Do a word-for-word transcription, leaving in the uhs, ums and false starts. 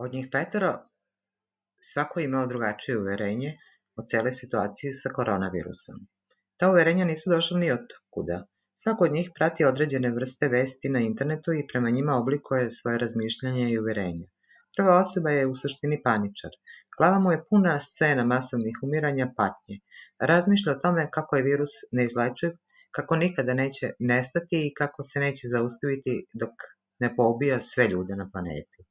Od njih petoro svako je imao drugačije uverenje o celoj situaciji sa koronavirusom. Ta uverenja nisu došla ni od kuda. Svako od njih prati određene vrste vesti na internetu i prema njima oblikuje svoje razmišljanje i uverenja. Prva osoba je u suštini paničar. Glava mu je puna scena masovnih umiranja, patnje. Razmišlja o tome kako je virus neizlečiv, kako nikada neće nestati i kako se neće zaustaviti dok ne poubija sve ljude na planeti.